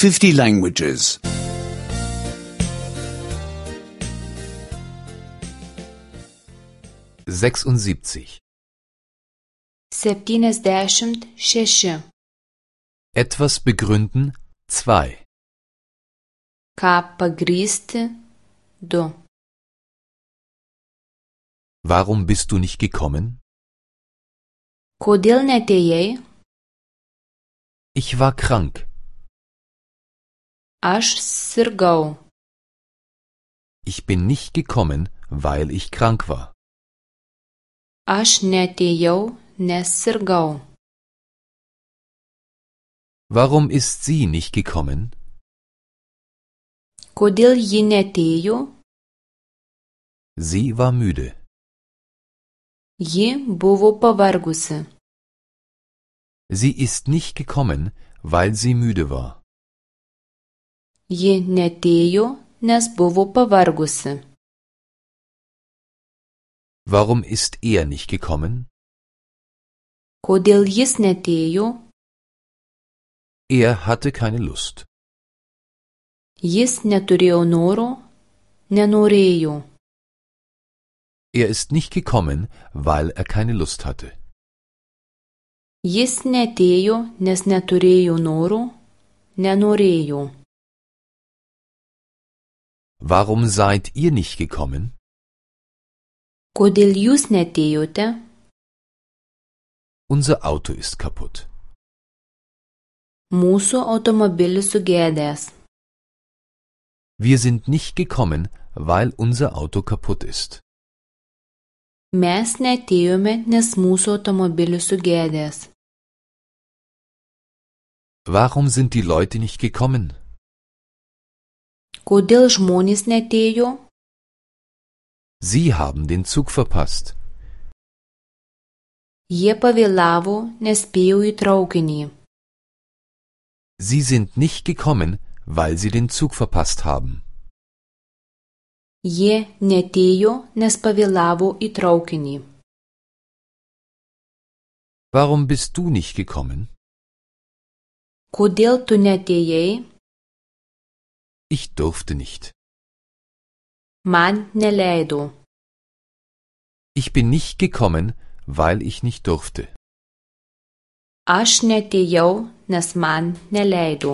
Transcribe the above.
50 languages. 76. 76. Etwas begründen 2. Ką pagrįsti 2. Warum bist du nicht gekommen? Kodėl neatėjai? Ich war krank. Aš sirgau. Ich bin nicht gekommen, weil ich krank war. Aš neatėjau, nes sirgau. Warum ist sie nicht gekommen? Kodėl ji neatėjo? Sie war müde. Ji buvo pavargusi. Sie ist nicht gekommen, weil sie müde war. Ji neatėjo, nes buvo pavargusi. Warum ist er nicht gekommen? Kodėl jis neatėjo? Er hatte keine Lust. Jis neturėjo noro, nenorėjo. Er ist nicht gekommen, weil er keine Lust hatte. Jis neatėjo, nes neturėjo noro, nenorėjo. Warum seid ihr nicht gekommen? Kodėl jūs neatėjote? Unser Auto ist kaputt. Mūsų automobilis sugedęs. Wir sind nicht gekommen, weil unser Auto kaputt ist. Mes neatėjome, nes mūsų automobilis sugedęs. Warum sind die Leute nicht gekommen? Kodėl žmonės neatėjo? Sie haben den Zug verpasst. Jie pavėlavo, nespėjo į traukinį. Sie sind nicht gekommen, weil sie den Zug verpasst haben. Jie neatėjo, nes pavėlavo į traukinį. Warum bist du nicht gekommen? Kodėl tu neatėjai? Ich durfte nicht. Man neleido. Ich bin nicht gekommen, weil ich nicht durfte. Aš neatėjau, nes man neleido.